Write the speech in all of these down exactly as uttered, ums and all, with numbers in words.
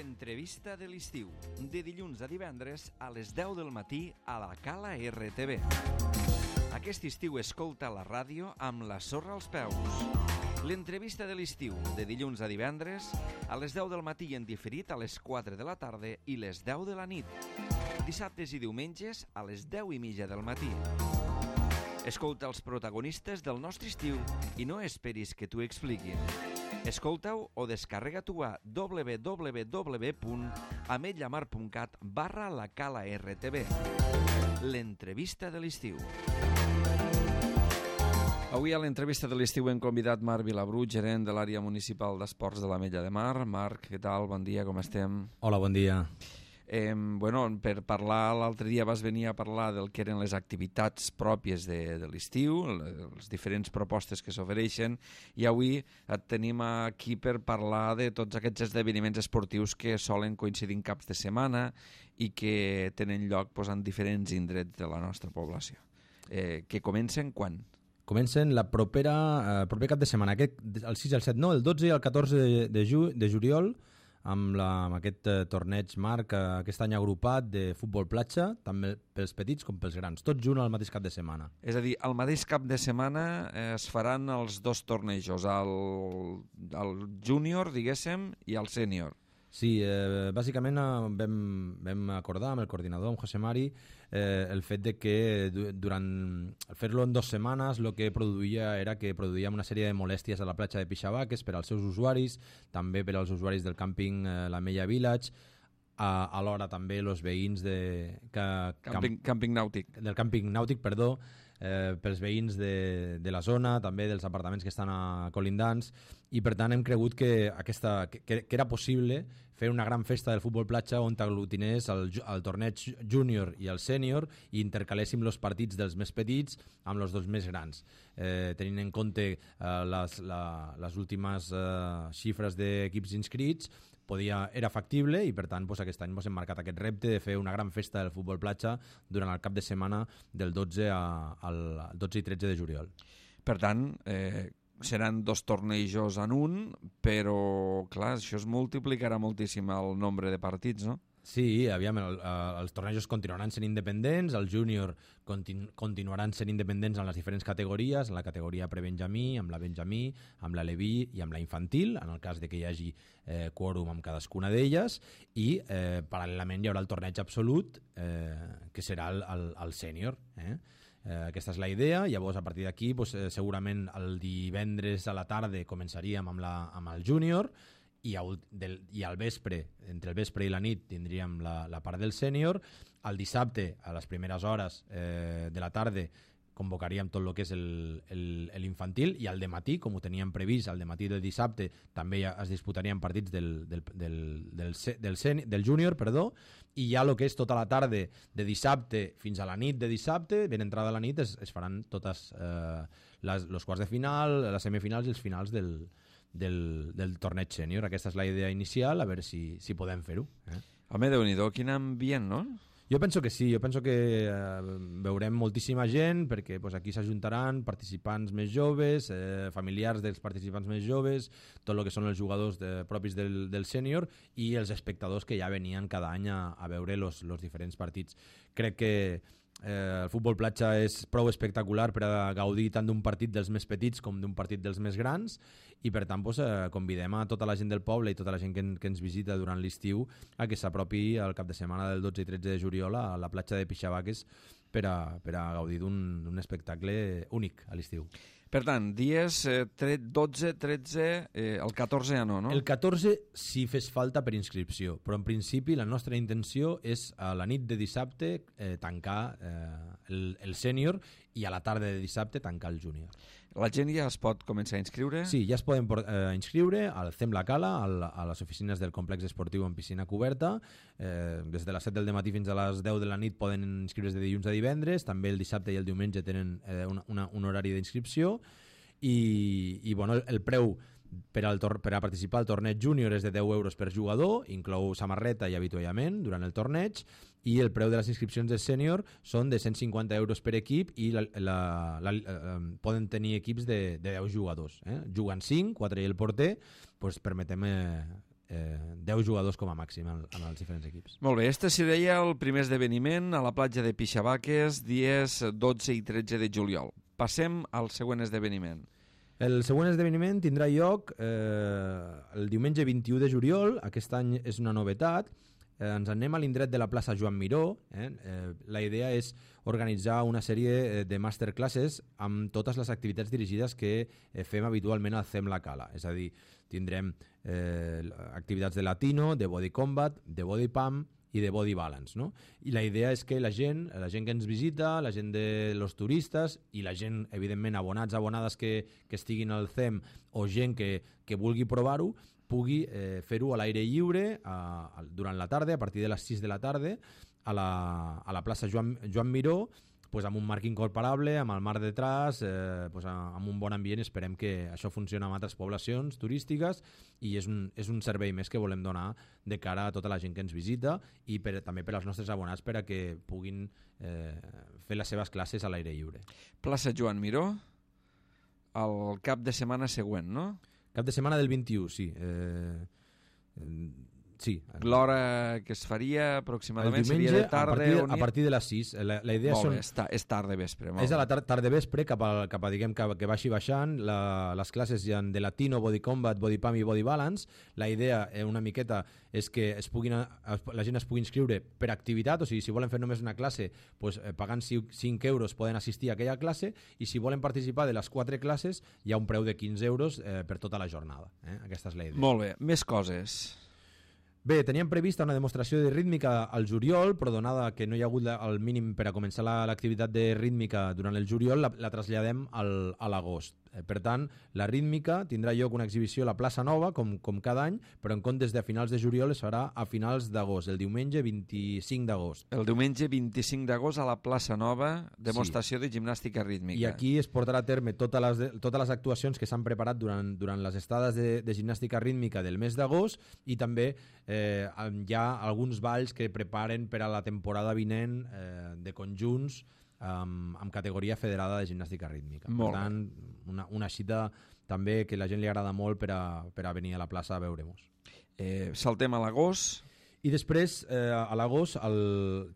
L'entrevista de l'estiu, de dilluns a divendres a les deu del matí a la Cala R T V. Aquest estiu escolta la ràdio amb la sorra als peus. L'entrevista de l'estiu, de dilluns a divendres a les deu del matí en diferit a les quatre de la tarda i les deu de la nit. Dissabtes i diumenges a les deu i mitja del matí. Escolta els protagonistes del nostre estiu i no esperis que t'ho expliquin. Escolta-ho o descarrega-t'ho a w w w punt ametlla mar punt cat barra la Cala R T V. L'entrevista de l'estiu. Avui a l'entrevista de l'estiu hem convidat Marc Vilabrú, gerent de l'àrea municipal d'esports de l'Ametlla de Mar. Marc, què tal? Bon dia, com estem? Hola, bon dia. Eh, bueno, per parlar, l'altre dia vas venir a parlar del que eren les activitats pròpies de, de l'estiu, les diferents propostes que s'ofereixen, i avui et tenim aquí per parlar de tots aquests esdeveniments esportius que solen coincidir en caps de setmana i que tenen lloc pues, en diferents indrets de la nostra població. Eh, que comencen quan? Comencen la propera, eh, proper cap de setmana, aquest, el sis, el set, no, el dotze i el catorze de, de, ju, de juliol, amb, la, amb aquest eh, torneig Marc, eh, aquest any agrupat de futbol platja, tant pels petits com pels grans, tots junts al mateix cap de setmana. És a dir, al mateix cap de setmana eh, es faran els dos tornejos, el, el júnior, diguéssim, i el sènior. Sí, eh, bàsicament eh, vam, vam acordar amb el coordinador, amb José Mari, eh, el fet de que durant fer-lo en dues setmanes el que produïa era que produïa una sèrie de molèsties a la platja de Pixabaques per als seus usuaris, també per als usuaris del càmping eh, La Mella Village, a, alhora també els veïns de, que, càmping, camp, càmping nàutic. del càmping nàutic, perdó, eh, pels veïns de, de la zona, també dels apartaments que estan a colindants, i per tant hem cregut que, aquesta, que, que era possible fer una gran festa del futbol platja on t'aglutinés el, el torneig júnior i el sènior i intercaléssim els partits dels més petits amb els dos més grans. Eh, tenint en compte eh, les, la, les últimes eh, xifres d'equips inscrits, podia, era factible i per tant doncs, aquest any ens hem marcat aquest repte de fer una gran festa del futbol platja durant el cap de setmana del dotze a, al dotze i tretze de juliol. Per tant, eh, seran dos tornejos en un, però clar, això es multiplicarà moltíssim el nombre de partits, no? Sí, aviam, el, el, els tornejos continuaran sent independents, el júnior continu, continuaran sent independents en les diferents categories, en la categoria prebenjamí, amb la benjamí, amb la leví i amb la infantil, en el cas de que hi hagi eh, quòrum amb cadascuna d'elles, i eh, paral·lelament hi haurà el torneig absolut, eh, que serà el, el, el sènior. Eh? Eh, aquesta és la idea. Llavors a partir d'aquí doncs, eh, segurament el divendres a la tarda començaríem amb, la, amb el júnior, I, a, del, i al vespre, entre el vespre i la nit tindríem la, la part del sènior. El dissabte a les primeres hores eh, de la tarda convocaríem tot el que és l'infantil, i al dematí, com ho teníem previst, al dematí del dissabte també es disputarien partits del, del, del, del, del, del, del júnior, perdó, i ja el que és tota la tarda de dissabte fins a la nit de dissabte, ben entrada a la nit, es, es faran totes eh, les, els quarts de final, les semifinals i els finals del, del, del torneig sènior. Aquesta és la idea inicial, a veure si, si podem fer-ho. Eh? Home, Déu-n'hi-do, quin ambient, no? Jo penso que sí, jo penso que eh, veurem moltíssima gent, perquè pues, aquí s'ajuntaran participants més joves, eh, familiars dels participants més joves, tot el que són els jugadors de, propis del, del sènior i els espectadors que ja venien cada any a, a veure els diferents partits. Crec que Eh, el futbol platja és prou espectacular per a gaudir tant d'un partit dels més petits com d'un partit dels més grans, i per tant doncs, eh, convidem a tota la gent del poble i tota la gent que, en, que ens visita durant l'estiu a que s'apropi al cap de setmana del dotze i tretze de juliol a la platja de Pixabaques per a, per a gaudir d'un espectacle únic a l'estiu. Per tant, dies eh, dotze, tretze, eh, el catorze ja no, no? El catorze si fes falta per inscripció, però en principi la nostra intenció és a la nit de dissabte eh, tancar eh, el, el sènior i a la tarda de dissabte tancar el júnior. La gent ja es pot començar a inscriure? Sí, ja es poden eh, inscriure al C E M La Cala, al, a les oficines del complex esportiu en piscina coberta. Eh, des de les set del dematí fins a les deu de la nit poden inscriure's de dilluns a divendres, també el dissabte i el diumenge tenen eh, una, una, un horari d'inscripció, i, i bueno, el preu per, al tor per a participar al torneig júnior és de deu euros per jugador, inclou samarreta i avituallament durant el torneig, i el preu de les inscripcions del sènior són de cent cinquanta euros per equip, i la, la, la, la, poden tenir equips de, de deu jugadors. Eh? Juguen cinc, quatre i el porter, doncs permetem eh, eh, deu jugadors com a màxim en, en els diferents equips. Molt bé, este seria el primer esdeveniment a la platja de Pixabaques, dies dotze i tretze de juliol. Passem al següent esdeveniment. El següent esdeveniment tindrà lloc eh, el diumenge vint-i-u de juliol. Aquest any és una novetat. Eh, ens anem a l'indret de la plaça Joan Miró. Eh? Eh, la idea és organitzar una sèrie de masterclasses amb totes les activitats dirigides que eh, fem habitualment al C E M La Cala. És a dir, tindrem eh, activitats de latino, de body combat, de body pump i de body balance, no? I la idea és que la gent, la gent que ens visita, la gent de los turistes i la gent, evidentment, abonats, abonades que, que estiguin al C E M o gent que, que vulgui provar-ho, pugui eh, fer-ho a l'aire lliure a, a, durant la tarda, a partir de les sis de la tarda, a la, a la plaça Joan, Joan Miró, pues amb un marc incorporable, amb el mar detrás, eh, pues amb un bon ambient. Esperem que això funcioni amb altres poblacions turístiques i és un, és un servei més que volem donar de cara a tota la gent que ens visita i per, també per als nostres abonats per a que puguin eh, fer les seves classes a l'aire lliure. Plaça Joan Miró, el cap de setmana següent, no? Cap de setmana del vint-i-u, sí. Eh, eh, Sí. L'hora que es faria aproximadament diumenge, seria de tarda a partir, o a partir de les sis. La, la idea molt són... bé, és, ta, és tarda vespre. És a la tar tarda vespre cap a, cap a diguem, que, que baixi baixant. La, les classes hi ha de latino, body combat, body pump i body balance. La idea eh, una miqueta és que es puguin, es, la gent es pugui inscriure per activitat, o sigui, si volen fer només una classe, pues, eh, pagant cinc euros poden assistir a aquella classe, i si volen participar de les quatre classes hi ha un preu de quinze euros eh, per tota la jornada. Eh? Aquesta és la idea. Molt bé, més coses. Bé, teníem prevista una demostració de rítmica al juliol, però donada que no hi ha hagut la, el mínim per a començar l'activitat de rítmica durant el juliol, la, la traslladem al, a l'agost. Eh, per tant, la rítmica tindrà lloc una exhibició a la plaça Nova, com, com cada any, però en comptes de a finals de juliol es farà a finals d'agost, el diumenge vint-i-cinc d'agost. El diumenge vint-i-cinc d'agost a la plaça Nova, demostració sí. de gimnàstica rítmica. I aquí es portarà a terme totes les, totes les actuacions que s'han preparat durant, durant les estades de, de gimnàstica rítmica del mes d'agost, i també eh, hi ha alguns balls que preparen per a la temporada vinent eh, de conjunts amb, amb categoria federada de gimnàstica rítmica. Molt per tant, una, una cita també que la gent li agrada molt per a, per a venir a la plaça a veure-mos. Eh, saltem a l'agost. I després, eh, a l'agost,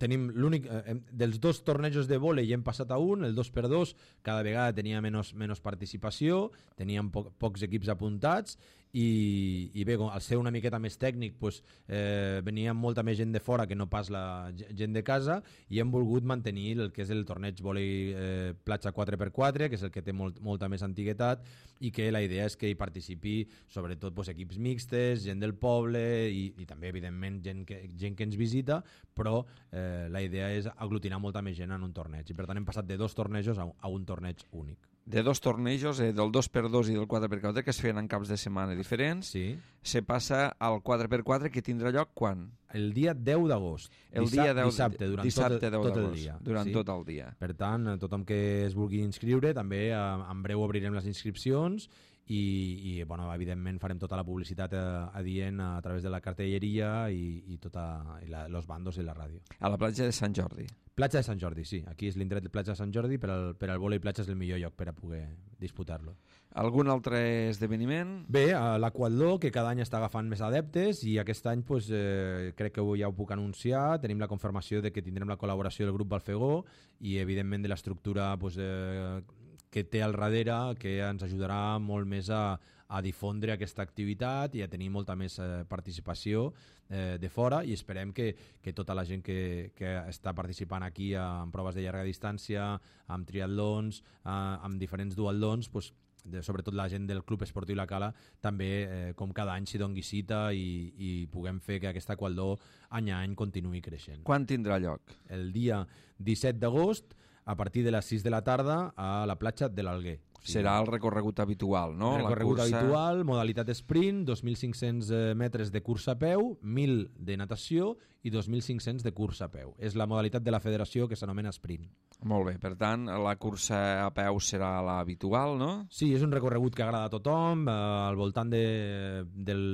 tenim l'únic... Eh, dels dos tornejos de vòlei hem passat a un, el dos per dos, cada vegada tenia menys, menys participació, teníem po pocs equips apuntats, i, i bé, al ser una miqueta més tècnic, pues, eh, venia molta més gent de fora que no pas la gent de casa, i hem volgut mantenir el que és el torneig vòlei eh, platja quatre per quatre, que és el que té molt, molta més antiguitat, i que la idea és que hi participi sobretot pues, equips mixtes, gent del poble i, i també evidentment gent que, gent que ens visita, però eh, la idea és aglutinar molta més gent en un torneig, i per tant hem passat de dos tornejos a un, a un torneig únic. De dos tornejos, eh, del dos per dos i del quatre per quatre, que es feien en caps de setmana diferents, sí. se passa al quatre per quatre, que tindrà lloc quan? El dia deu d'agost. El dia deu, dissabte, durant dissabte tot, tot el dia. Durant sí? tot el dia. Per tant, tothom que es vulgui inscriure, també eh, en breu obrirem les inscripcions, i, i bueno, evidentment farem tota la publicitat eh, adient a través de la cartelleria i, i tota i la, los bandos i la ràdio. A la platja de Sant Jordi. Platja de Sant Jordi, sí. Aquí és l'indret de platja de Sant Jordi, per al, per al vòlei platja és el millor lloc per a poder disputar-lo. Algun altre esdeveniment? Bé, l'Aquatló, que cada any està agafant més adeptes, i aquest any pues, eh, crec que ja ho puc anunciar, tenim la confirmació de que tindrem la col·laboració del grup Balfegó i evidentment de l'estructura pues, eh, que té al darrere, que ens ajudarà molt més a, a difondre aquesta activitat i a tenir molta més eh, participació eh, de fora, i esperem que, que tota la gent que, que està participant aquí en proves de llarga distància, amb triatlons, eh, amb diferents duatlons, pues, de, sobretot la gent del Club Esportiu La Cala, també, eh, com cada any, s'hi doni cita i, i puguem fer que aquesta Aquatló any a any continuï creixent. Quan tindrà lloc? El dia disset d'agost, a partir de les sis de la tarda, a la platja de l'Alguer. Sí. Serà el recorregut habitual, no? El recorregut la cursa... habitual, modalitat sprint, dos mil cinc-cents metres de cursa a peu, mil de natació i dos mil cinc-cents de cursa a peu. És la modalitat de la federació que s'anomena sprint. Molt bé, per tant, la cursa a peu serà l'habitual, no? Sí, és un recorregut que agrada a tothom, eh, al voltant de, del,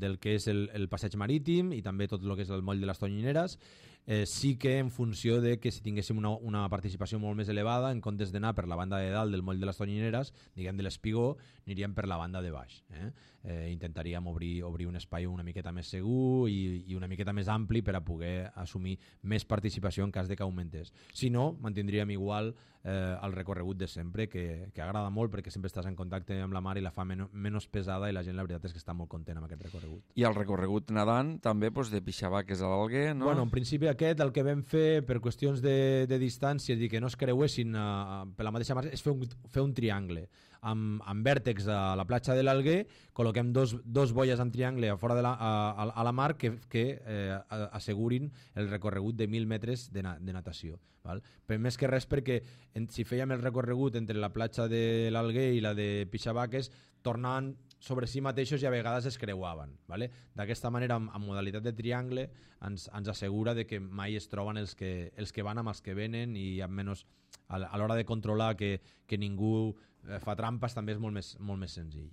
del que és el, el passeig marítim i també tot el que és el moll de les Tonyineres. Eh, sí que en funció de que si tinguéssim una, una participació molt més elevada, en comptes d'anar per la banda de dalt del moll de les Tonyineres, primeres, diguem, de l'espigó, aniríem per la banda de baix. Eh? Eh, intentaríem obrir, obrir un espai una miqueta més segur i, i una miqueta més ampli per a poder assumir més participació en cas de que augmentés. Si no, mantindríem igual eh, el recorregut de sempre, que, que agrada molt perquè sempre estàs en contacte amb la mar i la fa men menys pesada, i la gent la veritat és que està molt content amb aquest recorregut. I el recorregut nedant també doncs, de Pixabaques a l'Alguer, no? Bueno, en principi aquest, el que vam fer per qüestions de, de distància i que no es creuessin uh, per la mateixa mar, és fer un, fer un triangle amb, amb vèrtex a la platja de l'Alguer, col·loquem dos, dos boies en triangle a, fora de la, a, a la mar que, que eh, assegurin el recorregut de mil metres de, na, de natació. Val? Però més que res perquè en, si fèiem el recorregut entre la platja de l'Alguer i la de Pixabaques, tornaven sobre si mateixos i a vegades es creuaven. Vale? D'aquesta manera, amb, amb modalitat de triangle, ens, ens assegura de que mai es troben els que, els que van amb els que venen, i amb menys, a l'hora de controlar que, que ningú eh, fa trampes, també és molt més, molt més senzill.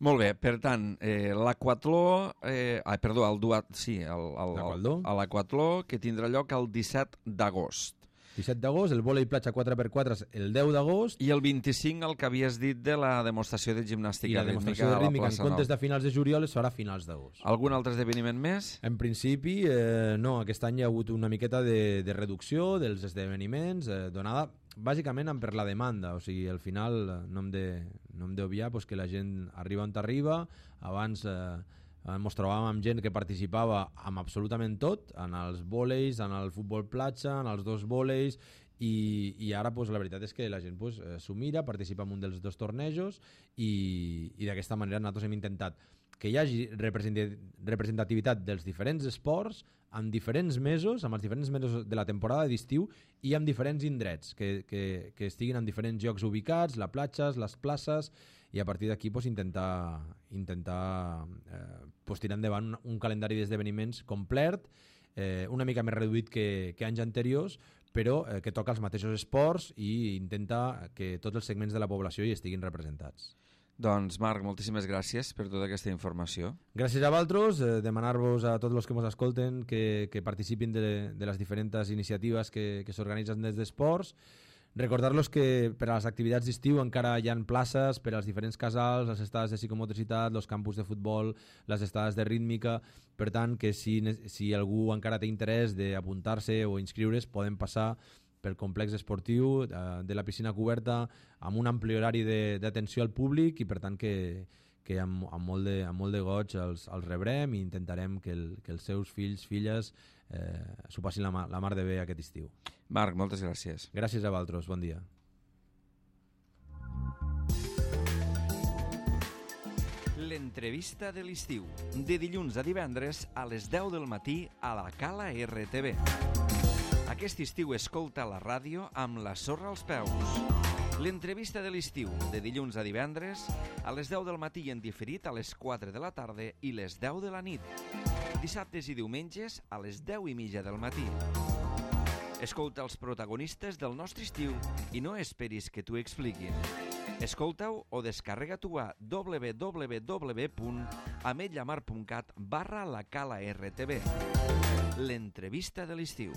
Molt bé, per tant, eh, l'aquatló, eh, ai, perdó, el duat, sí, l'aquatló que tindrà lloc el disset d'agost. disset d'agost, el vòlei platja quatre per quatre el deu d'agost. I el vint-i-cinc, el que havies dit de la demostració de gimnàstica I la demostració de rítmica, en comptes de finals de juliol, es farà a finals d'agost. Algun altre esdeveniment més? En principi, eh, no. Aquest any hi ha hagut una miqueta de, de reducció dels esdeveniments, eh, donada bàsicament per la demanda. O sigui, al final no hem de, no hem d'obviar pues, que la gent arriba on arriba. Abans eh, ens trobàvem amb gent que participava amb absolutament tot, en els vòleis, en el futbol platja, en els dos vòleis, i, i ara pues, la veritat és que la gent pues, s'ho mira, participa en un dels dos tornejos, i, i d'aquesta manera nosaltres hem intentat que hi hagi representativitat dels diferents esports en diferents mesos, amb els diferents mesos de la temporada d'estiu, i amb diferents indrets, que, que, que estiguin en diferents llocs ubicats, les platges, les places, i a partir d'aquí pues, intentar, intentar eh, pues, tirar endavant un, un calendari d'esdeveniments complet, eh, una mica més reduït que, que anys anteriors, però eh, que toca els mateixos esports i intenta que tots els segments de la població hi estiguin representats. Doncs Marc, moltíssimes gràcies per tota aquesta informació. Gràcies a vosaltres, eh, demanar-vos a tots els que ens escolten que, que participin de, de les diferents iniciatives que, que s'organitzen des d'esports. Recordar-los que per a les activitats d'estiu encara hi ha places per als diferents casals, les estades de psicomotricitat, els campus de futbol, les estades de rítmica. Per tant, que si, si algú encara té interès d'apuntar-se o inscriure's, poden passar pel complex esportiu eh, de la piscina coberta amb un ampli horari d'atenció al públic, i per tant que, que amb, amb, molt de, amb molt de goig els, els rebrem i intentarem que, el, que els seus fills, filles eh, s'ho passin la, la mar de bé aquest estiu. Marc, moltes gràcies. Gràcies a vosaltres, bon dia. L'entrevista de l'estiu, de dilluns a divendres a les deu del matí a la Cala R T V. Aquest estiu escolta la ràdio amb la sorra als peus. L'entrevista de l'estiu, de dilluns a divendres, a les deu del matí i en diferit a les quatre de la tarda i les deu de la nit. Dissabtes i diumenges a les deu i mitja del matí. Escolta els protagonistes del nostre estiu i no esperis que t'ho expliquin. Escolta-ho o descarrega-t'ho a w w w punt ametlla mar punt cat barra la cala R T V. L'entrevista de l'estiu.